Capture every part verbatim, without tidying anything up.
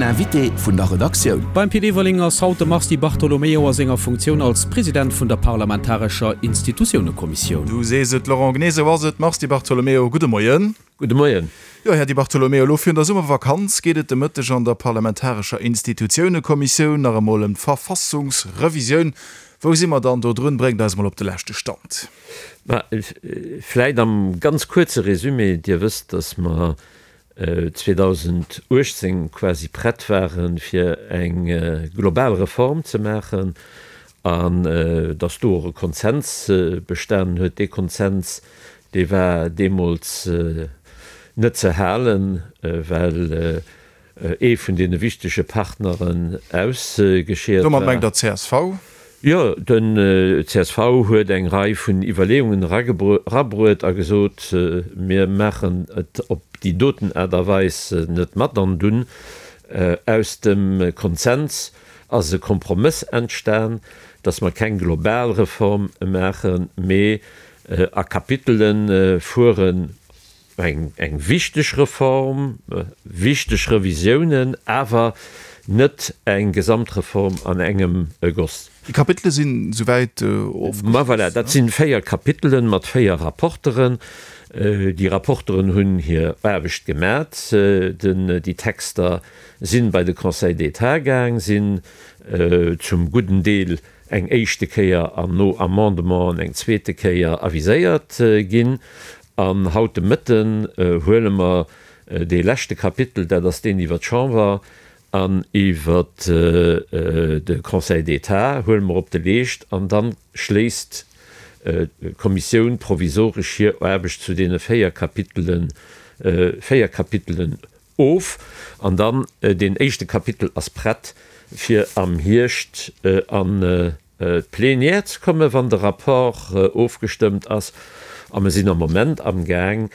Invité vun der Redaktioun. Beim Pit Everling ass haut de Mars Di Bartolomeo a senger Funktioun als President vun der parlamentarescher Institutiounekommissioun. Du sees et, Laurent, genee esou ass et. Mars Di Bartolomeo, gudde Moien. Gudde Moien. Jo, Här Di Bartolomeo, elo virun der Summervakanz geet et de Mëtteg an der parlamentarescher Institutiounekommissioun nach emol ëm d'Verfassungsrevisioun. Wou si mer dann do drun? Bréngt eis emol op de leschte Stand. Mä vläicht am ganz kuerze Résumé, Dir wësst, dass mer zweedausenduechtzéng quasi prett waren, fir eng global Reform ze maachen, an dass do och e Konsens bestanen huet. Dee Konsens, dee war deemools net ze halen, well ee vun deene wichtege Partneren ausgescheert war. Domat mengt Der d'C S V? Jo, den C S V huet eng Rei vun Iwwerleeungen erabruet a gesot, mir maachen et op déi doten Aart a Weis net mat. An dunn aus dem Konsens ass e Kompromëss entstan, datt mer keng global Reform maachen, mee a Kapitele fueren, eng eng wichteg Reform, wichteg Revisiounen, awer net eng Gesamtreform an engem Goss. Déi Kapitele sinn souwäit ofgeschloss? Ma voilà, dat si véier Kapitelen mat véier Rapporteren. Déi Rapporteren hunn hir Aarbecht gemat. Déi Texter si bei de Conseil d'État gaang, sinn zum gudden Deel eng éischte Kéier an no Amendementen eng zweete Kéier aviséiert ginn. An haut de Mëtten huele mer dee leschte Kapitel, dat ass deen iwwer d'Chamber an iwwer de Conseil d'État, huele mer op de Leescht an da schléisst d'Kommissioun provisoresch hir Aarbecht zu deene véier Kapitelen, véier Kapitelen of. An dann deen éischte Kapitel ass prett, fir am Hierscht an d'Plénière ze kommen, wann de Rapport ofgestëmmt ass. A mer sinn am Moment amgaang,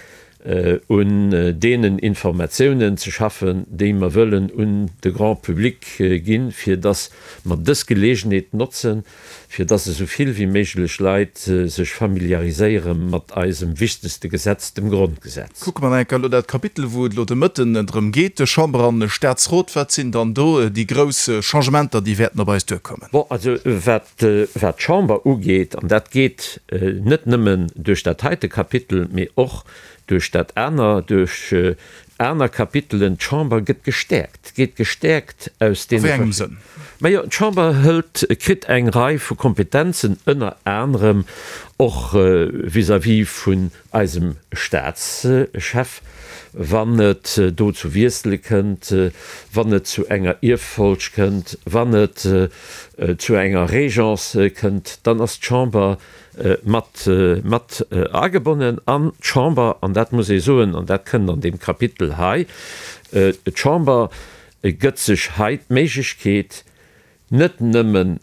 un deenen Informatiounen ze schaffen, déi mer wëllen un de Grand public ginn, fir dass mer dës Geleegenheet notzen, fir dass esou vill wéi méiglech Leit sech familiariséiere mat eisem wichtegste Gesetz, dem Grondgesetz. Kucke mer nach eng Kéier elo dat Kapitel, wou et elo de Mëtten drëm geet, Chamber an Staatsrot. Wat sinn dann do déi grouss Changementer, déi wäerten op eis duerkommen? Bon, also wat d'Chamber ugeet, an dat geet net nëmmen duerch dat heite Kapitel, mee och duerch dat aner, duerch aner Kapitelen, d'Chamber gëtt gestäerkt, geet gestäerkt aus A deene wéi engem verschiddenen. Sënn? Majo, d'Chamber hëlt, kritt eng Rei vu Kompetenzen, ënner anerem och vis-à-vis vun eisem Staatschef, wann et do zu Wiessele kënnt, wann et zu enger Ierffolg kënnt, wann et zu enger Régence kënnt, dann ass d'Chamber mat mat agebonnen. An d'Chamber, an dat muss ee soen, an dat kënnt an deem Kapitel hei, d'Chamber gëtt sech hei d'Méiglechkeet, net nëmme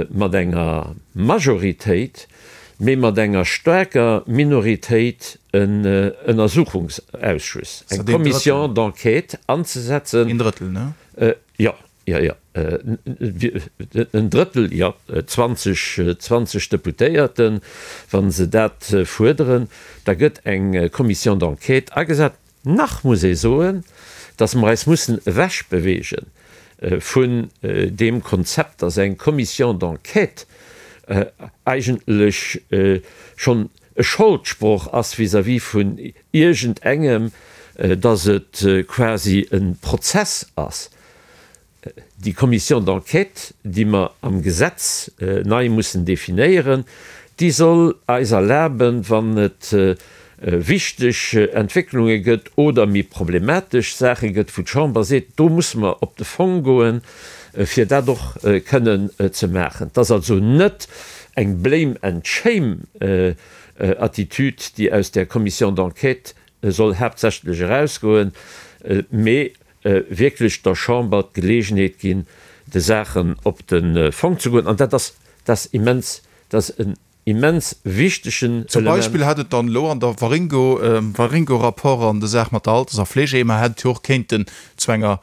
mat enger Majoritéit, mee mat enger staarker Minoritéit en Ënnersuchungsausschuss, eng Commission d'enquête anzesetzen. Een Drëttel, ne? Jo. Jo, jo, en Drëttel, jo, zwanzeg, zwanzeg Deputéierten, wa se dat fuerderen, da gëtt eng Commission d'enquête agesat. Nach muss ee soen, datt mer eis mussen ewechbeweege vun deem Konzept, datt eng Commission d'enquête eigentlech schonn e Scholdsproch ass vis-à-vis vun iergendengem, datt et quasi e Prozess ass. Déi Commission d'enquête, déi mer am Gesetz nei mussen definéieren, déi soll eis erlaben, wann et wichteg Entwécklunge gëtt oder méi problematesch Saache gëtt, wou d'Chamber seet, do musse mer op de Fong goen, fir dat och kënnen ze maachen. Et ass also net eng Blame and shame Attitude, déi aus där Commission d'enquête soll haaptsächlech erausgoen, mee wierklech der Chamber d'Geleegenheet ginn, de Saachen op de Fong ze goen. An dat ass, dat ass immens, dat ass en immens wichtegen Zum Element. Beispill hätt et dann elo an der Waringo, Waringo-Rapport an der Saach mat der Alters a Fleegeheemer hätt et jo och kéinten zu enger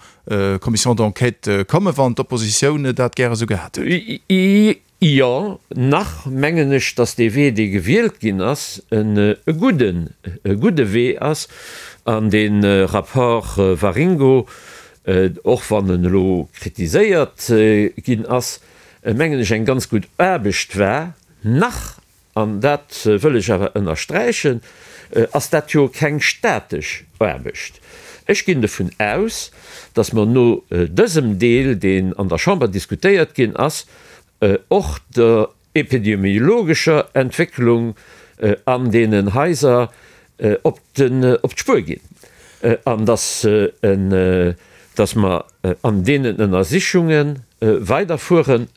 Commission d'enquête kommen, wann d'Oppositioun dat gäre sou gehat hätt. Jo, nach mengen ech, dass dee Wee, dee gewielt ginn ass, e gudden, e gudde Wee ass. An dee Rapport Waringo och wann en elo kritiséiert ginn ass, mengen ech eng ganz gutt Aarbecht war, nach, an dat wëll ech awer ënnersträichen, ass dat jo keng statesch Aarbecht. Ech ginn dovun aus, datt mer no dësem Deel, deen an der Chamber diskutéiert ginn ass, och der epidemiologescher Entwécklung an deenen Haiser op d'Spuer ginn an datt mer an deenen Ënnersichunge weiderfueren.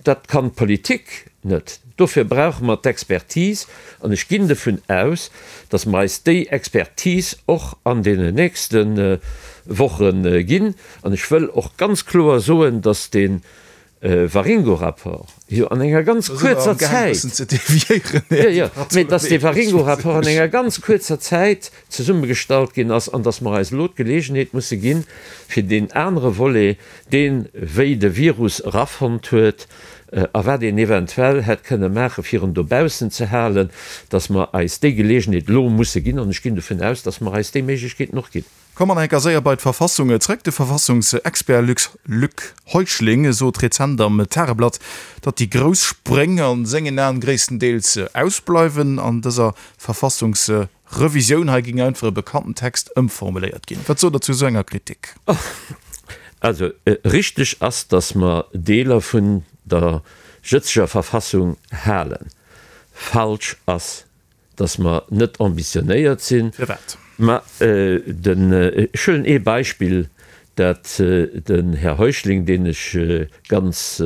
Dat kann d'Politik net. Dofir brauche mer d'Expertise an ech ginn dovun aus, datt mer eis déi Expertise och an deenen nächste Woche ginn. An ech wëll och ganz kloer soen, datt dee Waringo-Rapport jo an enger ganz kuerzer Zäit, jo, jo, mee datt dee Waringo-Rapport an enger ganz kuerzer Zäit zesummegestallt ginn ass an datt mer eis elo d'Geleegenheet musse ginn, fir deen anere Volet, deen, wéi de Virus erafonnt huet a wat een eventuell hätt kënne maachen, fir en dobaussen ze halen, datt mer eis déi Geleegenheet elo musse ginn. An ech ginn dovun aus, datt mer eis déi Méiglechkeeten och ginn. Komme mer nach eng Kéier séier bei d'Verfassung zréck. De Verfassungsexpert Luc Luc Heuschling sot rezent am Tageblatt, datt déi grouss Spréng a sengen Aen gréisstendeels ausbleiwen an dëser Verfassungsrevisioun. Hei géing einfach e bekannten Text ëmformuléiert ginn. Wat sot Der zu esou enger Kritik? Also richteg ass, datt mer Deeler vun der jëtzeger Verfassung halen. Falsch ass, dass mer net ambitionéiert sinn. Firwat? Ma den, ech huelen ee Beispill, dat den Här Heuschling, deen ech ganz,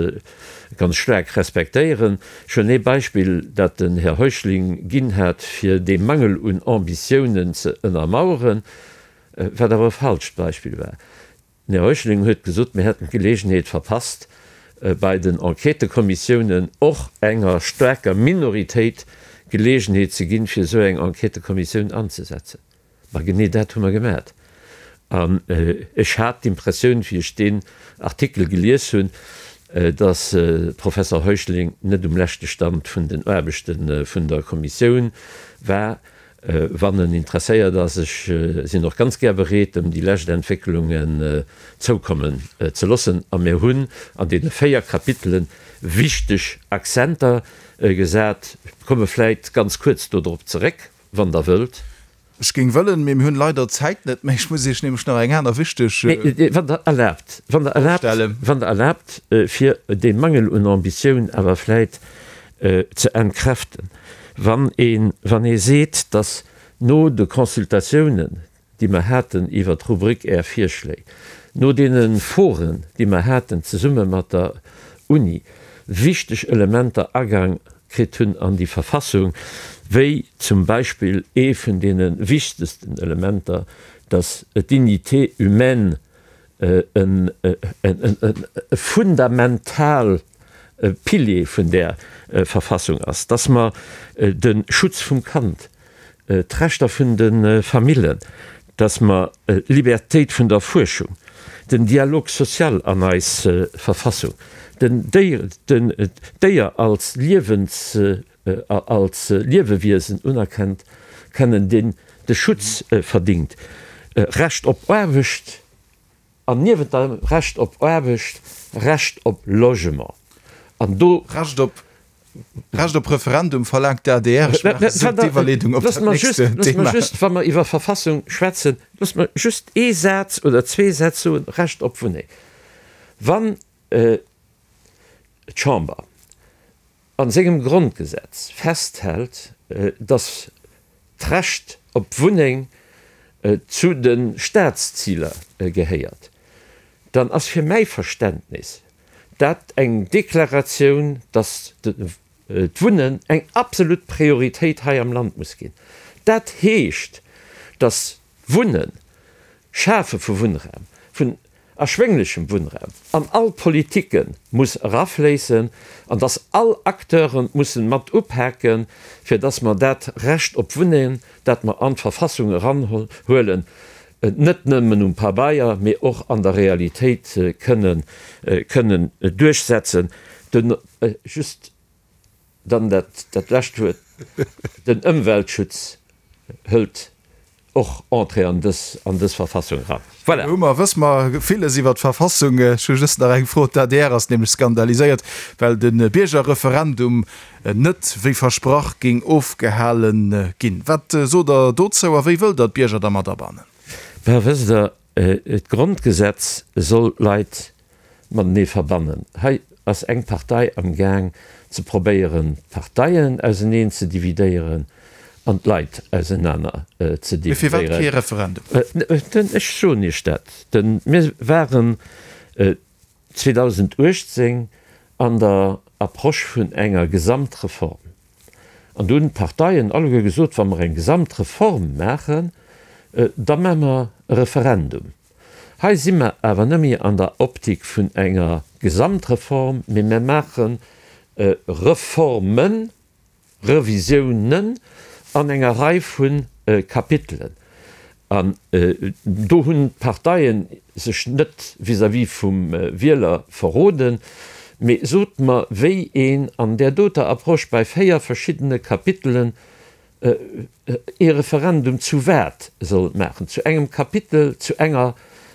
ganz staark respektéieren, ech huelen ee Beispill, dat den Här Heuschling ginn hat, fir dee Mangel un Ambitiounen ze ënnermauern, wat awer e falscht Beispill war. Den Här Heuschling huet gesot, mir hätten d'Gelegenheet verpasst, bei den Enquêtëkommissiounen och enger staarker Minoritéit Gelegenheet ze ginn, fir esou eng Enquêtëkommissioun anzesetzen. Ma genee dat hu mer gemat. An ech hat d'Impressioun, wéi ech deen Artikel gelies hunn, dass de Professor Heuschling net um leschte Stand vun den Aarbechte vun der Kommissioun war. Wann en interesséiert ass, ech sinn och ganz gär bereet, em déi lescht Entwécklungen zoukommen ze loossen. A mir hunn an deene véier Kapitele wichteg Akzenter gesat. Ech komme vläicht ganz kuerz dodrop zeréck, wann Der wëllt. Ech géing wëllen, mee mir hunn leider d'Zäit net méi. Ech muss Iech nämlech nach eng aner wichteg Wann Der erlaabt, wann Der erlaabt, wann Der erlaabt, fir dee Mangel un Ambitioun awer vläicht ze entkräften, wann een, wann ee seet, dass no de Consultatiounen, déi mer haten iwwert d'Rubrik Är Virschléi, no deene Foren, déi mer haten zesumme mat der Uni, wichteg Elementer Agang kritt hunn an déi Verfassung, wéi zum Beispill ee vun deene wichtegsten Elementer, dass d'Dignité humaine e fundamental Pilier vun där Verfassung ass, dass mer de Schutz vum Kand, d'Rechter vun de Famillen, dass mer d'Libertéit vun der Fuerschung, den Dialogue social an eis Verfassung, den Déier als Liewens, als Liewewiesen unerkennt kennen, deen de Schutz verdingt, Recht op Aarbecht an niewent dem Recht op Aarbecht Recht op Logement. An do. Recht op, Recht op Referendum verlaangt d'ADR. Ech maachen esou d'Iwwerleedung op dat nächst Thema. Loosst mer just, wa mer iwwer Verfassung schwätzen, loosst mer just ee Saz oder zwee Sätz soen, Recht op Wunneng. Wann d'Chamber a sengem Grondgesetz festhält, datt d'Recht op Wunneng zu de Staatsziler gehéiert, dann ass fir mäi Verständnis dat eng Deklaratioun, datt d'Wunnen eng absolut Prioritéit hei am Land muss ginn. Dat heescht, datt d'Wunnen, d'Schafe vu Wunnraum, vun erschwénglechem Wunnraum an all Politike muss erafléissen an dass all Acteure mussen mat upaken, fir dass mer dat Recht op Wunneng, dat mer an d'Verfassung eranhuelen, net nëmmen um Pabeier, mee och an der Realitéit kënnen kënnen duerchsetzen. Den, just dann dat, dat lescht Wuert, den Ëmweltschutz hëlt och Entrée an dës, an dës Verfassung eran. Voilà. Hu mer, wësse mer villes iwwer d'Verfassung. Ech hu just nach eng Fro, D'ADR ass nämlech skandaliséiert, well de Biergerreferendum net wéi versprach géing ofgehale ginn. Wat sot Der dozou a wéi wëllt Der d'Bierger da mat abannen? Bah, wësst Der, d'Grondgesetz soll d'Leit matenee verbannen. Hei ass eng Partei am Gaang ze probéieren d'Parteien auseneen ze dividéieren an d'Leit ausenaner ze Mee firwat dividéieren. kee Referendum? Ech soen Iech dat. Mir waren zweedausenduechtzéng an der Approche vun enger Gesamtreform. An do hunn d'Parteien alleguer gesot, wa mer eng Gesamtreform maachen, da maache mer e Referendum. Hei si mer awer net méi an der Optik vun enger Gesamtreform, mee mer maache Reformen, Revisiounen an enger Rei vu Kapitelen. An do hunn d'Parteie sech net vis-à-vis vum Wieler verroden. Mee sot mer, wéi een an där doter Approche bei véier verschiddene Kapitelen ee Referendum zu wat soll maachen, zu engem Kapitel, zu enger,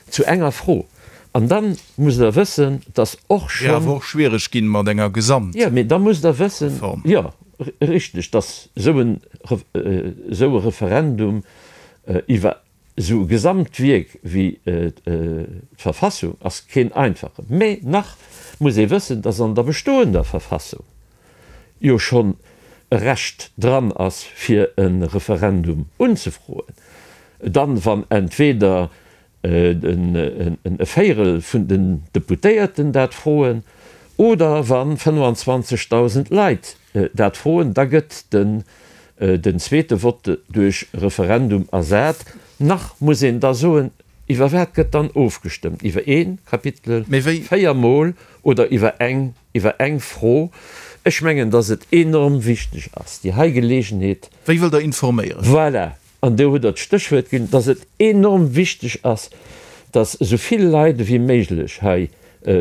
zu enger Fro. An da musst Der wëssen, dass och Wier schonn. awer och schwiereg ginn mat enger Jo, mee da musst Der wëssen, Gesamtreform. jo, richteg, dass esou en, esou e Referendum iwwer esou e Gesamtwierk wéi d'Verfassung ass keen einfachen. Mee nach muss ee wëssen, dass an der bestoender Verfassung jo schonn e Recht dran ass, fir e Referendum unzefroen, dann, wann entweder e Véierel vun den Deputéierten dat froen oder wa fënnefanzwanzegdausend Leit dat froen, da gëtt den zweete Vote duerch Referendum ersat. Nach muss een da soen, iwwer wat gëtt dann ofgestëmmt, iwwer ee Kapitel véier Mol oder iwwer eng, iwwer eng Fro? Ech mengen, dass et enorm wichteg ass, déi hei Geleegenheet. Wéi wëllt Der informéieren? Voilà, an do hutt Der d'Stéchwuert ginn, dass et enorm wichteg ass, dass esou vill Leit ewéi méiglech hei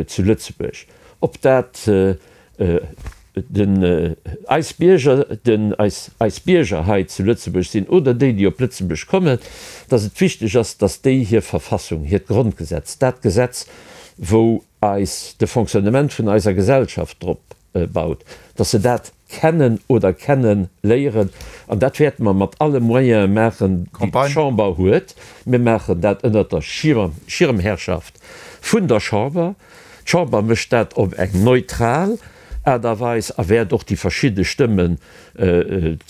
zu Lëtzebuerg, ob dat den eis Bierger, den eis, eis Bierger hei zu Lëtzebuerg sinn oder déi, déi op Lëtzebuerg kommen, dass et wichteg ass, dass déi hir Verfassung, hiert Grondgesetz, dat Gesetz, wou eis de Fonctionnement vun eiser Gesellschaft drop baut, dass se dat kennen oder kenne léieren. An dat wäerte mer mat alle Moyene maachen, déi d'Chamber huet. Mir maachen dat ënnert der Schirmherrschaft vun der Chamber. D'Chamber mécht dat op eng neutral Aart a Weis a wäert och déi verschidde Stëmmen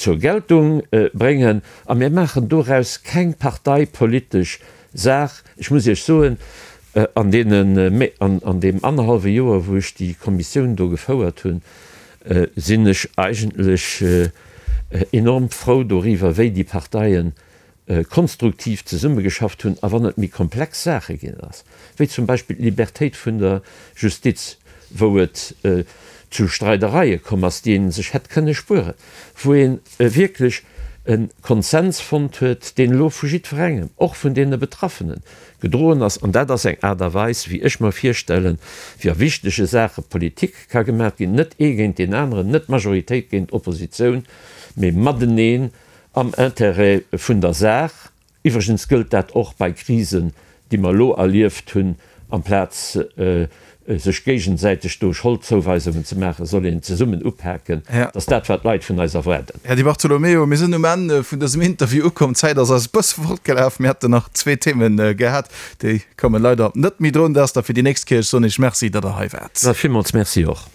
zur Geltung bréngen. A mir maachen doraus keng parteipolitesch Saach. Ech muss Iech soen, an deene, an deem annerhallwe Joer, wou ech déi Kommissioun do gefouert hunn, sinn ech eigentlech enorm frou doriwwer, wéi déi Parteien konstruktiv zesummegeschafft hunn, a wann et méi komplex Saache ginn ass, wéi zum Beispill d'Libertéit vun der Justiz, wou et zu Streidereie komm ass, déi ee sech hätt kënne spueren, wou ee wierklech e Konsens fonnt huet, deen elo vu jiddwerengem, och vun deene Betraffenen, gedroen ass. An dat ass eng Aart a Weis, wéi ech mer virstellen, wéi a wichtege Saache Politik ka gemaach ginn, net ee géint deen aneren, net Majoritéit géint Oppositioun, mee mateneen am Intérêt vun der Saach. Iwwregens gëllt dat och bei Krisen, déi mer elo erlieft hunn. Amplaz sech géigesäiteg do Scholdzouweisungen ze maachen, soll een zesummen upaken. Dat ass dat, wat d'Leit vun eis erwaarden. Här Di Bartolomeo, mir sinn um Enn vun dësem Interview ukomm. D'Zäit ass eis e bësse fortgelaf. Mir hätten nach zwee Themen gehat, déi kommen leider net méi drun. Dat ass da fir déi nächst Kéier. Ech soen Iech Merci, datt Der hei waart. Villmools Merci och.